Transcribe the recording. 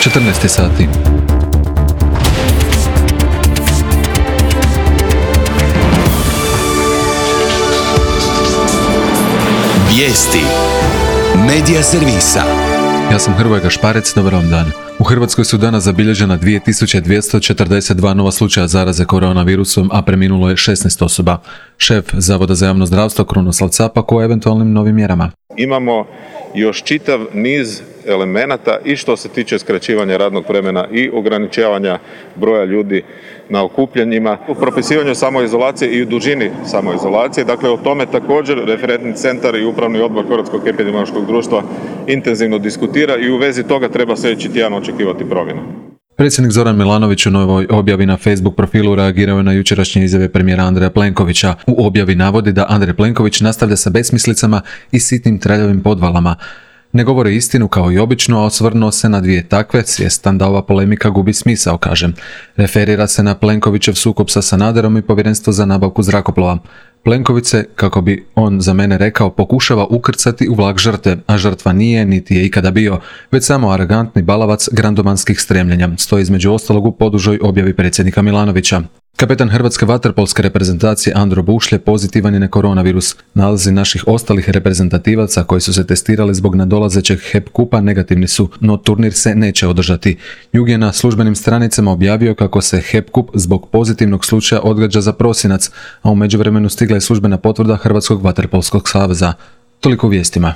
14 sati. Vijesti Medija servisa. Ja sam Hrvoje Gašparec, dobar vam dan. U Hrvatskoj su danas zabilježena 2242 nova slučaja zaraze koronavirusom, a preminulo je 16 osoba. Šef Zavoda za javno zdravstvo Krunoslav Capak o eventualnim novim mjerama. Imamo još čitav niz elemenata i što se tiče skraćivanja radnog vremena i ograničavanja broja ljudi na okupljanjima, u propisivanju samoizolacije i u dužini samoizolacije. Dakle, o tome također referentni centar i upravni odbor Hrvatskog epidemiološkog društva intenzivno diskutira i u vezi toga treba sljedeći tjedan očekivati promjene. Predsjednik Zoran Milanović u novoj objavi na Facebook profilu reagirao je na jučerašnje izjave premijera Andreja Plenkovića. U objavi navodi da Andrej Plenković nastavlja sa besmislicama i sitnim traljavim podvalama. Ne govori istinu kao i obično, a osvrnuo se na dvije takve, svjestan da ova polemika gubi smisao, kažem. Referira se na Plenkovićev sukob sa Sanaderom i povjerenstvo za nabavku zrakoplova. Plenković se, kako bi on za mene rekao, pokušava ukrcati u vlak žrtve, a žrtva nije niti je ikada bio, već samo arogantni balavac grandomanskih stremljenja, stoji između ostalog u podužoj objavi predsjednika Milanovića. Kapetan hrvatske vaterpolske reprezentacije Andro Bušlje pozitivan je na koronavirus. Nalazi naših ostalih reprezentativaca koji su se testirali zbog nadolazećeg HEP kupa negativni su, no turnir se neće održati. Jug je na službenim stranicama objavio kako se HEP kup zbog pozitivnog slučaja odgađa za prosinac, a u međuvremenu stigla je službena potvrda Hrvatskog vaterpolskog saveza. Toliko u vijestima.